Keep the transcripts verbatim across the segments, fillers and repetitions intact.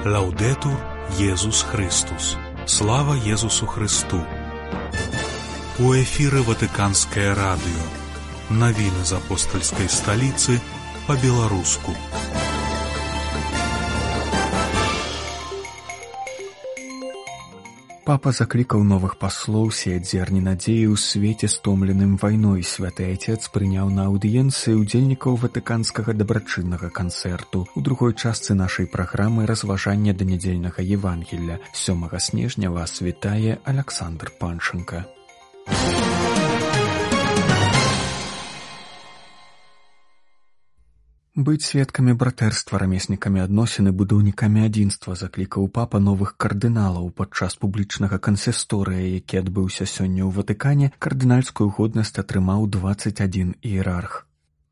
Лаўдэтур Езус Христус. Слава Езусу Христу. У эфіры Ватыканскае радыё. Навіны з апостальскай сталіцы па-беларуску. Папа заклікаў новых паслоў сеяць зерні надзеі ў свеце стомленым вайной. Святы Айцец прыняў на аўдыенцыі удзельнікаў ватыканскага дабрачыннага канцэрту. У другой частцы нашай праграмы разважання да нядзельнага Евангелля. сёмага снежня вас вітае Аляксандр Панченка. Быць сведкамі братэрства, рамеснікамі адносін і будаўнікамі адзінства заклікаў папа новых кардыналаў падчас публічнага кансісторыя, які адбыўся сёння ў Ватыкане. Кардынальскую годнасць атрымаў дваццаць адзін іерарх.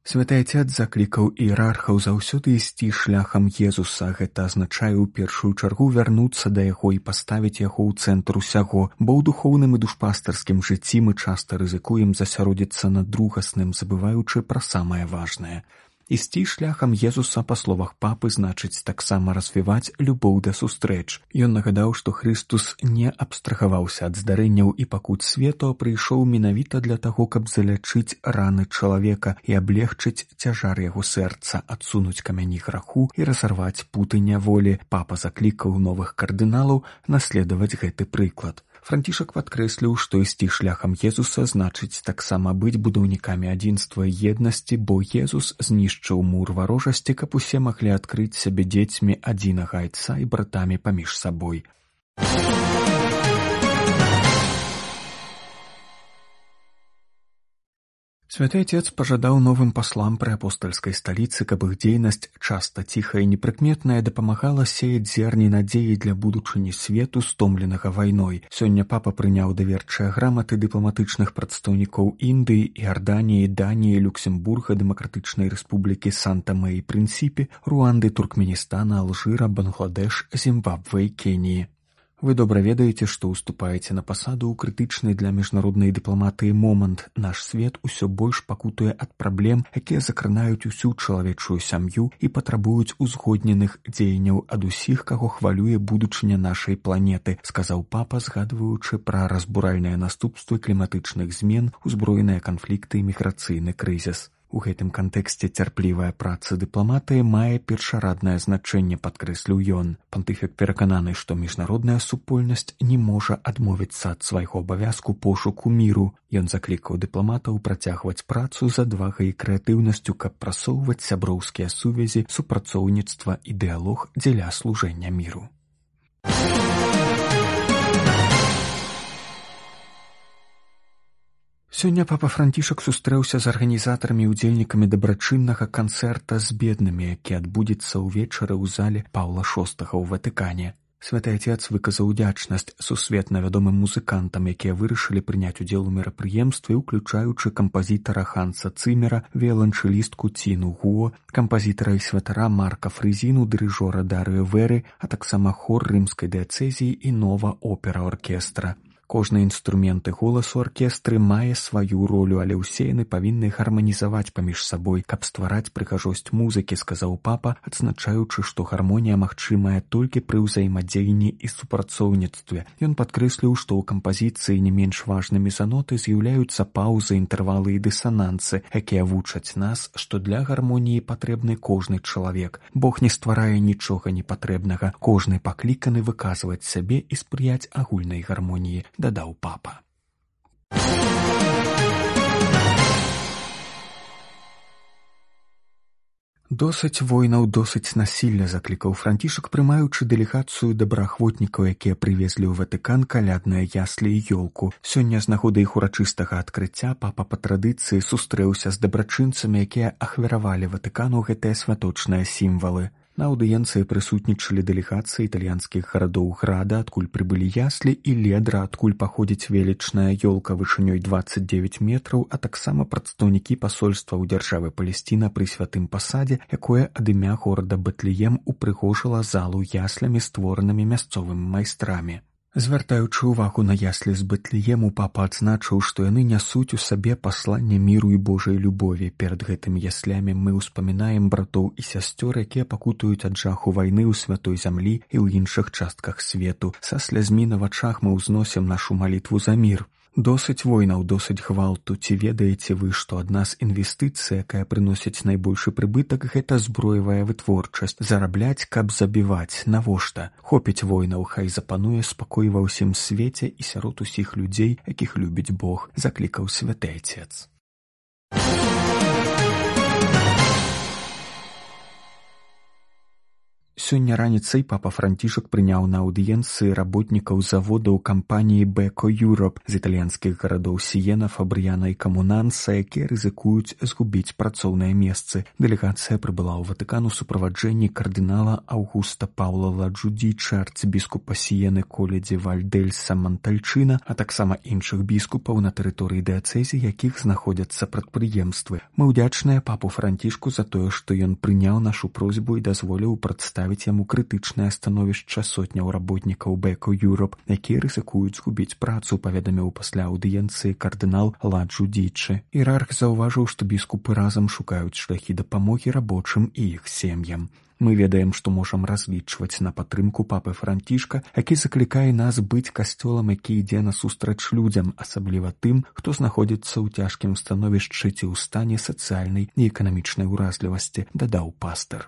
Святы Айцец заклікаў іерархаў заўсёды ісці шляхам Езуса. Гэта азначае ў першую чаргу вярнуцца да яго і паставіць яго ў цэнтр усяго, бо ў духоўным і душпастарскім жыцці мы часта рызыкуем засяродзіцца на другасным, забываючы пра самае важнае. Ісці шляхам Езуса, па словах папы, значыць таксама развіваць любоў да сустрэч. Ён нагадаў, што Христус не абстрагаваўся ад здарэнняў і пакут свету, а прыйшоў менавіта для таго, каб залячыць раны чалавека і аблегчыць цяжар яго сэрца, адсунуць камяні граху і разарваць путы няволі. Папа заклікаў новых кардыналаў наследаваць гэты прыклад. Францішак падкрэсліў, што ісці шляхам Езуса значыць таксама быць будаўнікамі адзінства і еднасці, бо Езус знішчыў мур варожасці, каб усе маглі адкрыць сябе дзецьмі адзінага Айца і братамі паміж сабой. Святы Айцец пажадаў новым паслам пры апостальскай сталіцы, каб іх дзейнасць, часта ціхая і непрыкметная, дапамагала сеяць зерні надзеі для будучыні свету, стомленага вайной. Сёння папа прыняў даверчыя граматы дыпламатычных прадстаўнікоў Індыі, Іарданіі, Даніі, Люксембурга, Дэмакратычнай рэспублікі Санта-Мэ і Прынсіпі, Руанды, Туркменістана, Алжыра, Бангладеш, Зімбабве і Кеніі. Вы добра ведаеце, што ўступаеце на пасаду ў крытычны для міжнароднай дыпламатыі момант. Наш свет усё больш пакутуе ад праблем, якія закранаюць усю чалавечую сям'ю і патрабуюць узгодненых дзеянняў ад усіх, каго хвалюе будучыня нашай планеты, сказаў папа, згадваючы пра разбуральныя наступствы кліматычных змен, узброеныя канфлікты і міграцыйны крызіс. У гэтым кантэксце цярплівая праца дыпламатыі мае першараднае значэнне, падкрэсліў ён. Пантыфік перакананы, што міжнародная супольнасць не можа адмовіцца ад свайго абавязку пошуку міру. Ён заклікаў дыпламатаў працягваць працу з адвагай і крэатыўнасцю, каб прасоўваць сяброўскія сувязі, супрацоўніцтва і дыялог дзеля служэння міру. Сёння папа Францішак сустрэўся з арганізатарамі і удзельнікамі дабрачыннага канцэрта з беднымі, які адбудзецца ўвечары ў зале Паўла шостага ў Ватыкане. Святы Айцец выказаў удзячнасць сусветна вядомым музыкантам, якія вырашылі прыняць удзел у мерапрыемстве, уключаючы кампазітара Ханса Цымера, віяланчэлістку Ціну Гуо, кампазітара і святара Марка Фрызіну, дырыжора Дарыё Веры, а таксама хор рымскай дыяцэзіі і нова опера оркестра. Кожны інструмент і голас у аркестры мае сваю ролю, але ўсе яны павінны гарманізаваць паміж сабой, каб ствараць прыгажосць музыкі, сказаў папа, адзначаючы, што гармонія магчымая толькі пры ўзаемадзеянні і супрацоўніцтве. Ён падкрэсліў, што ў кампазіцыі не менш важнымі за ноты з'яўляюцца паўзы, інтэрвалы і дысанансы, якія вучаць нас, што для гармоніі патрэбны кожны чалавек. Бог не стварае нічога непатрэбнага, кожны пакліканы выказваць сябе і спрыяць агульнай гармоніі, дадаў папа. Досыць войнаў, досыць насілля, заклікаў Францішак, прымаючы дэлегацыю добраахвотнікаў, якія прывезлі ў Ватыкан калядныя яслі і ёлку. Сёння з нагоды іх урачыстага адкрыцця папа па традыцыі сустрэўся з дабрачынцамі, якія ахвяравалі Ватыкану гэтыя святочныя сімвалы. На аўдыенцыі прысутнічалі дэлегацыі італьянскіх гарадоў Града, адкуль прыбылі яслі, і Ледра, адкуль паходзіць велічная ёлка вышынёй дваццаць дзевяць метраў, а таксама прадстаўнікі пасольства ў дзяржавы Палесціна пры святым пасадзе, якое ад імя горада Бэтлеем упрыгожыла залу яслямі, створанымі мясцовымі майстрамі. Звяртаючы ўвагу на яслі з Бэтлеему, папа адзначыў, што яны нясуць у сабе пасланне міру і Божай любові. Перад гэтымі яслямі мы ўспамінаем братоў і сясцёр, якія пакутуюць ад жаху вайны ў святой зямлі і ў іншых частках свету. Са слязьмі на вачах мы ўзносім нашу малітву за мір. Досыць войнаў, досыць гвалту. Ці ведаеце вы, што адна з інвестыцый, якая прыносіць найбольшы прыбытак, гэта зброевая вытворчасць. Зарабляць, каб забіваць. Навошта? Хопіць войнаў, хай запануе спакой ва ўсім свеце і сярод усіх людзей, якіх любіць Бог, заклікаў святы Айцец. Сёння раніцай папа Францішак прыняў на аўдыенцыі работнікаў заводаў кампаніі Beko Europe з італьянскіх гарадоў Сіена, Фабрыяна і Камунанса, якія рызыкуюць згубіць працоўныя месцы. Дэлегацыя прыбыла ў Ватыкан у суправаджэнні кардынала Аўгуста Паўла Ладжудзіча, арцыбіскупа Сіены Коледзі Вальдэльса Монтальчына, а таксама іншых біскупаў на тэрыторыі дыяцэзі, якіх знаходзяцца прадпрыемствы. Мы ўдзячныя папу Францішку за тое, што ён прыняў нашу просьбу і дазволіў прадставіць яму крытычнае становішча сотняў работнікаў Beko Europe, якія рызыкуюць згубіць працу, паведаміў пасля аўдыенцыі кардынал Ладжудзічы. Іерарх заўважыў, што біскупы разам шукаюць шляхі дапамогі рабочым і іх сем'ям. Мы ведаем, што можам разлічваць на падтрымку папы Францішка, які заклікае нас быць касцёлам, які ідзе насустрач людзям, асабліва тым, хто знаходзіцца ў цяжкім становішчы ці ў стане сацыяльнай і эканамічнай уразлівасці, дадаў пастар.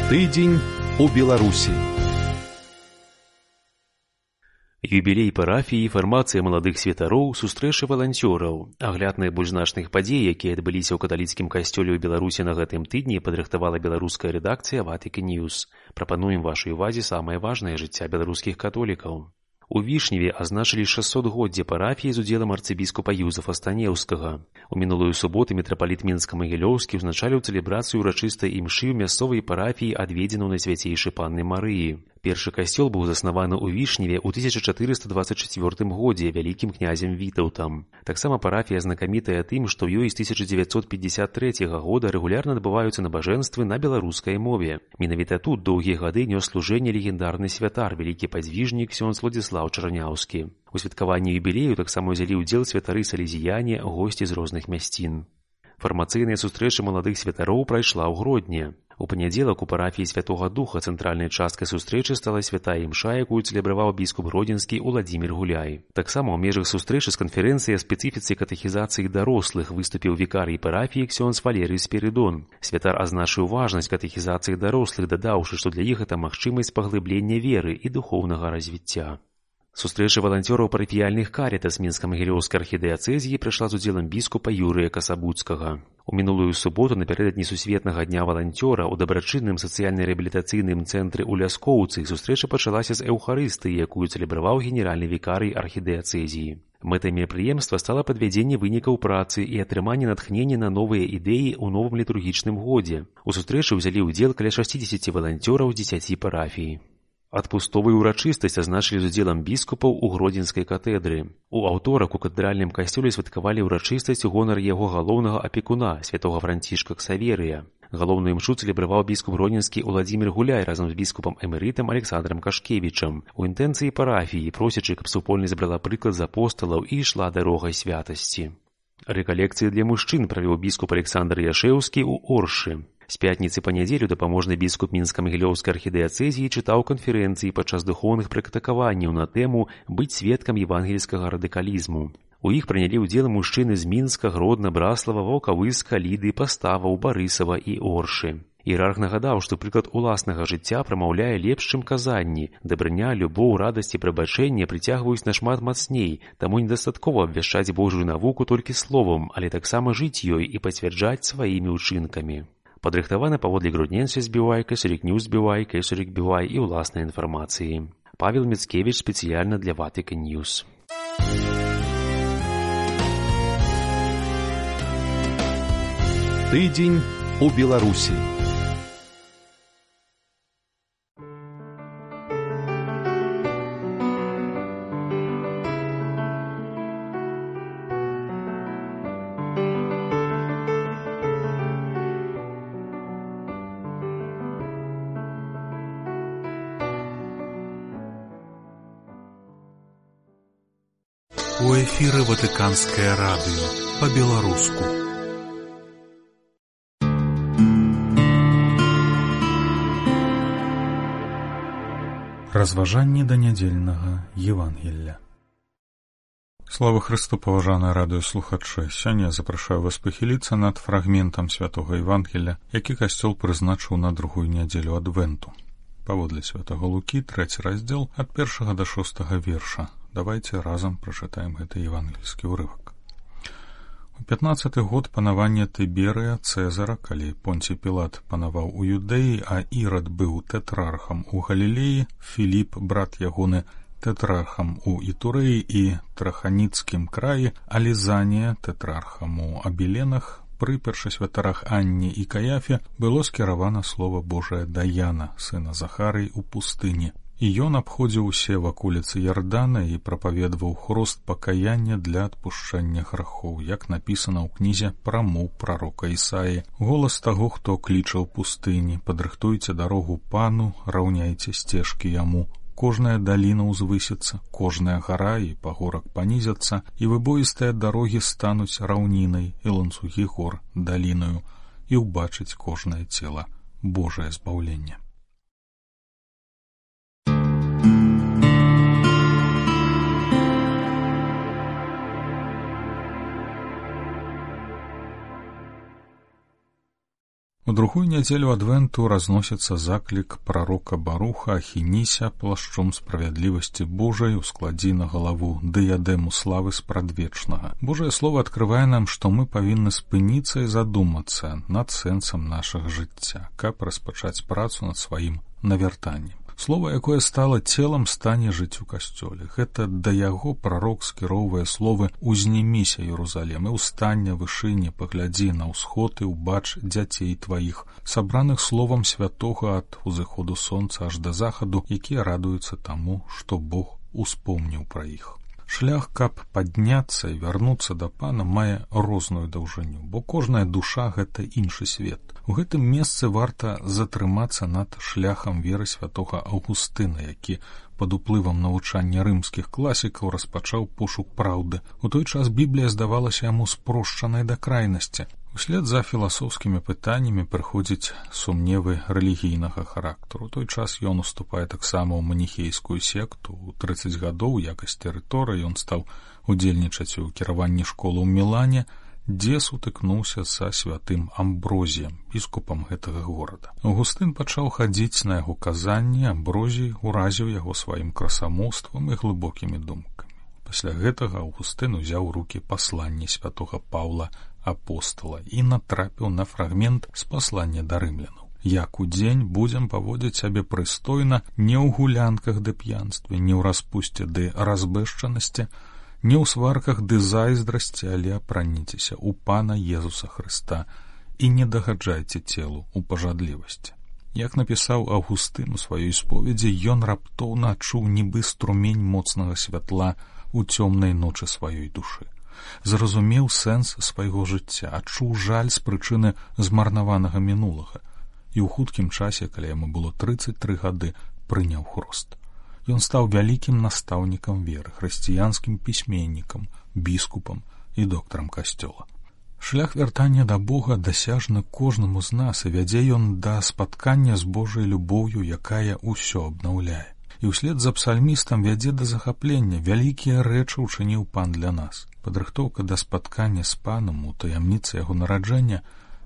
Тыдзень у Беларусі. Юбілей парафіі, фармацыя маладых святароў, сустрэчы валанцёраў. Агляд найбольш значных падзей, якія адбыліся ў каталіцкім касцёле ў Беларусі на гэтым тыдні, падрыхтавала беларуская рэдакцыя Vatican News. Прапануем вашай увазе самае важнае жыцця беларускіх католікаў. У Вішневе азначылі шэсцігоддзе парафіі з удзелам арцыбіскупа Юзафа Станеўскага. У мінулую суботу мітрапаліт Мінска-Магілёўскі ўзначаліў цэлебрацыю ўрачыстай імшы ў мясцовай парафіі, адведзеную Найсвяцейшай Панны Марыі. Першы касцёл быў заснаваны ў Вішневе ў тысяча чатырыста дваццаць чацвёртым годзе вялікім князем Вітаўтам. Таксама парафія знакамітая тым, што ў ёй з тысяча дзевяцьсот пятьдесят трэцяга года рэгулярна адбываюцца набажэнствы на беларускай мове. Менавіта тут доўгія гады нёс служэнне легендарны святар, вялікі падзвіжнік ксёндз Владзіслаў Чарняўскі. У святкаванні юбілею таксама ўзялі ўдзел святары салезіяне, госці з розных мясцін. Фармацыйная сустрэча маладых святароў прайшла ў Гродні. У панядзелак у парафіі Святога Духа цэнтральнай часткай сустрэчы стала святая імша, якую цэлебраваў біскуп гродзенскі Уладзімір Гуляй. Таксама ў межах сустрэчы з канферэнцыяй спецыфіцы катэхізацыі дарослых выступіў вікарый парафіі ксёндз Валерый Спірыдон. Святар азначыў важнасць катэхізацыі дарослых, дадаўшы, што для іх гэта магчымасць паглыблення веры і духоўнага развіцця. Сустрэча валанцёраў парафіяльных карітас Мінска-Магілёўскай архідыяцэзіі прайшла з удзелам біскупа Юрыя Касабуцкага. У мінулую суботу напярэдадні сусветнага дня валанцёра ў дабрачынным сацыяльна-рэабілітацыйным цэнтры ў Ляскоўцы сустрэча пачалася з эўхарыстыі, якую цэлебраваў генеральны вікарый архідыяцэзіі. Мэтай мерапрыемства стала падвядзенне вынікаў працы і атрыманне натхнення на новыя ідэі ў новым літургічным годзе. У сустрэчы ўзялі ўдзел каля шасцідзесяці валанцёраў з дзесяці парафій. Адпустовую ўрачыстасць азначылі з удзелам біскупаў у Гродзенскай катэдры. У аўторак у катэдральным касцёле святкавалі ўрачыстасць у гонар яго галоўнага апекуна, святога Францішка Ксаверыя. Галоўную імшу цэлебраваў біскуп гродзенскі Уладзімір Гуляй разам з біскупам эмерытам Александрам Кашкевічам. У інтэнцыі парафіі, просячы, каб супольнасць брала прыклад з апосталаў і ішла дарогай святасці. Рэкалекцыі для мужчын правёў біскуп Александр Яшэўскі ў Оршы. З пятніцы па нядзелю дапаможны біскуп Мінска-Магілёўскай архідыяцэзіі чытаў канферэнцыі падчас духоўных практыкаванняў на тэму «Быць сведкам евангельскага радыкалізму». У іх прынялі ўдзел мужчыны з Мінска, Гродна, Браслава, Ваўкавыска, Ліды, Паставаў, Барысава і Оршы. Іерарх нагадаў, што прыклад уласнага жыцця прамаўляе лепш, чым казанні. Дабрыня, любоў, радасць і прабачэнне прыцягваюць нашмат мацней, таму недастаткова абвяшчаць Божую навуку толькі словам, але таксама жыць ёй і пацвярджаць сваімі ўчынкамі. Падрыхтавана паводле Гродненскай збівай, Кесарік Ньюс збівай, Кесарік збівай і ўласнай інфармацыі. Павел Міцкевіч спецыяльна для Vatican News. Тыдзень у Беларусі. эфіры Ватыканскае радыё па-беларуску. Разважанні да нядзельнага Евангелля. Слава Христу, паважаныя радыёслухачы! Сёння я запрашаю вас пахіліцца над фрагментам святога Евангелля, які касцёл прызначыў на другую нядзелю адвенту. Паводле святага Лукі, трэці раздзел, ад першага да шостага верша. Давайте разам прачытаем гэты евангельскі ўрывак. У пятнаццаты год панавання Тыберыя Цэзара, калі Понцій Пілат панаваў у Юдэі, а Ірад быў тэтрархам у Галілеі, Філіп, брат ягоны, тэтрархам у Ітурэі і Траханіцкім краі, а Лізанія, тэтрархам у Абіленах, пры першасвятарах Анне і Каяфе было скіравана слова Божае да Яна, сына Захарый, у пустыні. І ён абходзіў усе ваколіцы Ярдана і прапаведваў хрост пакаяння для адпушчэння грахоў, як напісана ў кнізе прамоў прарока Ісаі. Голас таго, хто кліча ў пустыні: падрыхтуйце дарогу пану, раўняйце сцежкі яму. Кожная даліна ўзвысіцца, кожная гара і пагорак панізяцца, і выбоістыя дарогі стануць раўнінай, і ланцугі гор далінаю, і ўбачыць кожнае цела Божае збаўленне. У другую нядзелю адвенту разносіцца заклік прарока Баруха «Ахініся плашчом справядлівасці Божай, ускладзі на галаву дыядэму славы спрадвечнага». Божае слово адкрывае нам, што мы павінны спыніцца і задумацца над сэнсам нашага жыцця, каб распачаць працу над сваім навяртаннем. Слова, якое стала целам, стане жыць у касцёле. Гэта да яго прарок скіроўвае словы «Узніміся, Єрусалем, і ўстання вышыні, паглядзі на ўсход і ўбач дзяцей тваіх», сабраных словам святога ад узыходу сонца аж да захаду, якія радуюцца таму, што Бог успомніў пра іх. Шлях, каб падняцца і вярнуцца да Пана, мае розную даўжыню, бо кожная душа — гэта іншы свет. У гэтым месцы варта затрымацца над шляхам веры святога Аўгустына, які пад уплывам навучання рымскіх класікаў распачаў пошук праўды. У той час Біблія здавалася яму спрошчанай да крайнасці. Услед за філасофскімі пытаннямі прыходзяць сумневы рэлігійнага характару. У той час ён уступае таксама ў маніхейскую секту. У трыццаць гадоў у якасці рытора ён стаў удзельнічаць у кіраванні школы ў Мілане, дзе сутыкнуўся са святым Амброзіем, біскупам гэтага горада. Аўгустын пачаў хадзіць на яго казанні, Амброзій уразіў яго сваім красамоўствам і глыбокімі думкамі. Пасля гэтага Аўгустын узяў у рукі пасланне святога Паўла апостола і натрапіў на фрагмент з паслання да рымлянаў. Як удзень будзем паводзіць сябе прыстойна, не ў гулянках ды п'янстве, не ў распусце ды разбэшчанасці, не ў сварках ды зайздрасці, але апраніцеся ў Пана Езуса Хрыста і не дагаджайце целу ў пажадлівасці. Як напісаў Аўгустын у сваёй споведзі, ён раптоўна адчуў нібы струмень моцнага святла ў цёмнай ночы сваёй душы. Зразумеў сэнс свайго жыцця, адчуў жаль з прычыны змарнаванага мінулага і ў хуткім часе, калі яму было трыццаць тры гады, прыняў хрост. Ён стаў вялікім настаўнікам веры, хрысціянскім пісьменнікам, біскупам і доктарам касцёла. Шлях вяртання да Бога дасяжны кожнаму з нас, і вядзе ён да спаткання з Божай любоўю, якая ўсё абнаўляе. І ўслед за псальмістам вядзе да захаплення, вялікія рэчы ўчыніў Пан для нас. Падрыхтоўка да спаткання з Панам у таямніцы яго нараджэння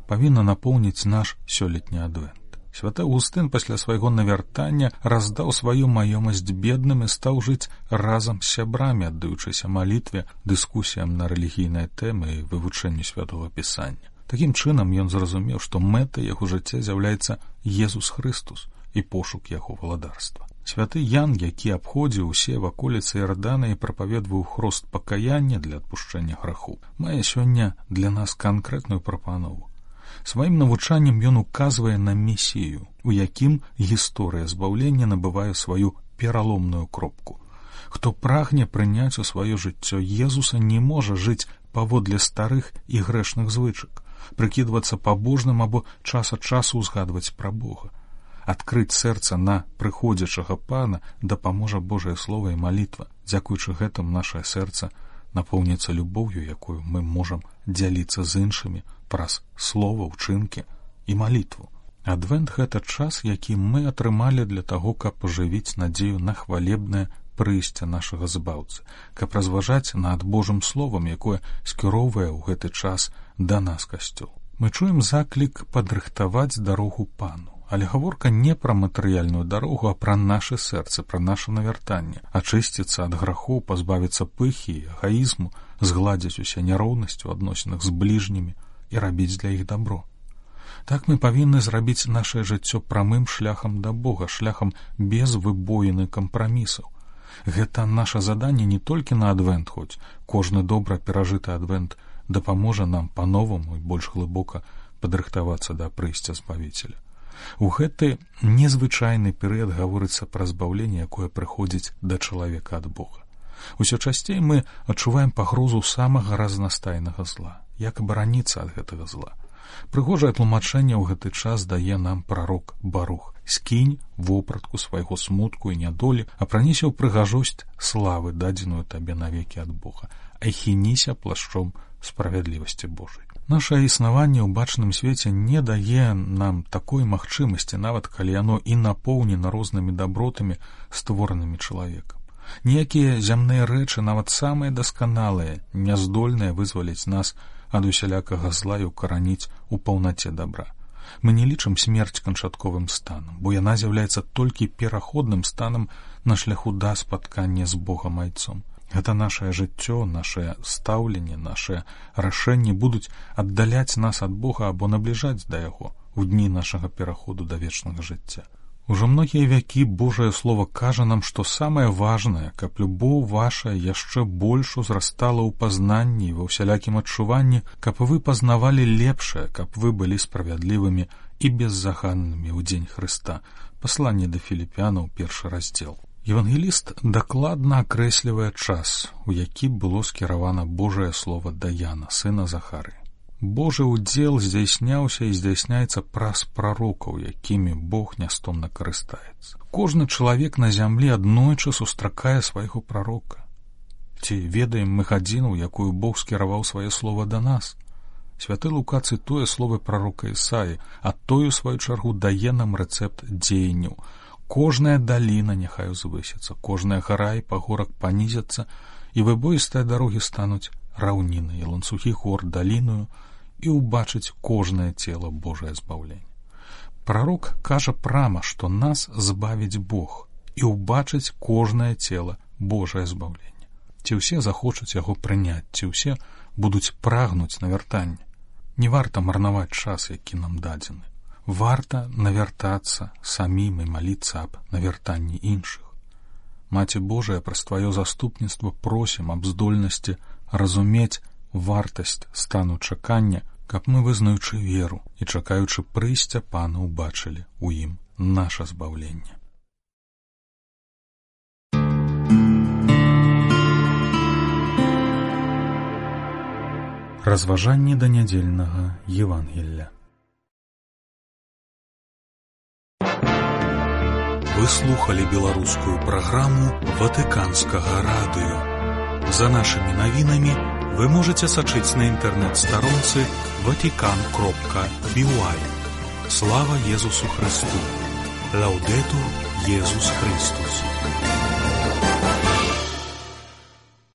павінна напоўніць наш сёлетні адвент. Святы Аўгустын пасля свайго навяртання раздаў сваю маёмасць бедным і стаў жыць разам з сябрамі, аддаючыся малітве, дыскусіям на рэлігійныя тэмы і вывучэнню святога пісання. Такім чынам ён зразумеў, што мэтай яго жыцця з'яўляецца Езус Хрыстус і пошук яго валадарства. Святы Ян, які абходзіў усе ваколіцы Ярдана і прапаведваў хрост пакаяння для адпушчэння граху, мае сёння для нас канкрэтную прапанову. Сваім навучаннем ён указвае на месію, у якім гісторыя збаўлення набывае сваю пераломную кропку. Хто прагне прыняць у сваё жыццё Езуса, не можа жыць паводле старых і грэшных звычак, прыкідвацца пабожным або час ад часу ўзгадваць пра Бога. Адкрыць сэрца на прыходзячага Пана дапаможа Божае Слова і малітва. Дзякуючы гэтым нашае сэрца напоўніцца любоўю, якую мы можам дзяліцца з іншымі праз слова, учынкі і малітву. Адвент — гэта час, які мы атрымалі для таго, каб пажывіць надзею на хвалебнае прыйсце нашага збаўцы, каб разважаць над Божым словам, якое скіроўвае ў гэты час да нас касцёл. Мы чуем заклік падрыхтаваць дарогу Пану. Але гаворка не пра матэрыяльную дарогу, а пра нашы сэрцы, пра наша навяртанне, ачысціцца ад грахоў, пазбавіцца пыхі і эгаізму, згладзіць усе няроўнасці ў адносінах з бліжнімі і рабіць для іх дабро. Так мы павінны зрабіць нашае жыццё прамым шляхам да Бога, шляхам без выбоіны кампрамісаў. Гэта наша заданне не толькі на адвент, хоць кожны добра перажыты адвент дапаможа нам па-новаму і больш глыбока падрыхтавацца да прыйсця Збавіцеля. У гэты незвычайны перыяд гаворыцца пра збаўленне, якое прыходзіць да чалавека ад Бога. Усё часцей мы адчуваем пагрозу самага разнастайнага зла. Як абараніцца ад гэтага зла? Прыгожае тлумачэнне ў гэты час дае нам прарок Барух. Скінь вопратку свайго смутку і нядолі, а пранесе ў прыгажосць славы, дадзеную табе навекі ад Бога, ахініся плашчом справядлівасці Божай. Нашае існаванне ў бачным свеце не дае нам такой магчымасці, нават калі яно і напоўнена рознымі дабротамі, створанымі чалавекам. Ніякія зямныя рэчы, нават самыя дасканалыя, не здольныя вызваліць нас ад усялякага зла і укараніць у паўнаце дабра. Мы не лічым смерць канчатковым станам, бо яна з'яўляецца толькі пераходным станам на шляху да спаткання з Богам Айцом. Гэта нашае жыццё, нашае стаўленне, нашыя рашэнні будуць аддаляць нас ад Бога або набліжаць да Яго ў дні нашага пераходу да вечнага жыцця. Ужо многія вякі Божае Слово кажа нам, што самае важнае, каб любоў ваша яшчэ больш узрастала ў пазнанні і ва ўсялякім адчуванні, каб вы пазнавалі лепшае, каб вы былі справядлівымі і беззаганнымі ў дзень Хрыста. Пасланне да Філіпянаў, першы раздзел. Евангеліст дакладна акрэслівае час, у які было скіравана Божае Слово да Яна, сына Захары. Божы ўдзел здзяйсняўся і здзяйсняецца праз прарокаў, якімі Бог нястомна карыстаецца. Кожны чалавек на зямлі аднойчы сустракае свайго прарока. Ці ведаем мы гадзіну, якую Бог скіраваў сваё слово да нас? Святы Лука цытуе словы прарока Ісаі, а той, у сваю чаргу, дае нам рэцэпт дзеянняў. Кожная даліна няхай узвысіцца, кожная гара і пагорак панізяцца, і выбоістыя дарогі стануць раўнінай, і ланцугі гор даліною, і ўбачыць кожнае цела Божае збаўленне. Прарок кажа прама, што нас збавіць Бог, і ўбачыць кожнае цела Божае збаўленне. Ці ўсе захочуць яго прыняць, ці ўсе будуць прагнуць навяртання. Не варта марнаваць час, які нам дадзены. Варта навяртацца самім і маліцца аб навяртанні іншых. Маці Божая, праз тваё заступніцтва просім аб здольнасці разумець вартасць стану чакання, каб мы, вызнаючы веру і чакаючы прыйсця Пана, убачылі ў ім наша збаўленне. Разважанні да нядзельнага Евангелля. Вы слухали беларускую праграму Ватыканскага радыё. За нашымі навінамі вы можете сачыць на інтэрнэт-старонцы ватикан кропка би уай. Слава Езусу Христу! Лаудетур Езус Христус!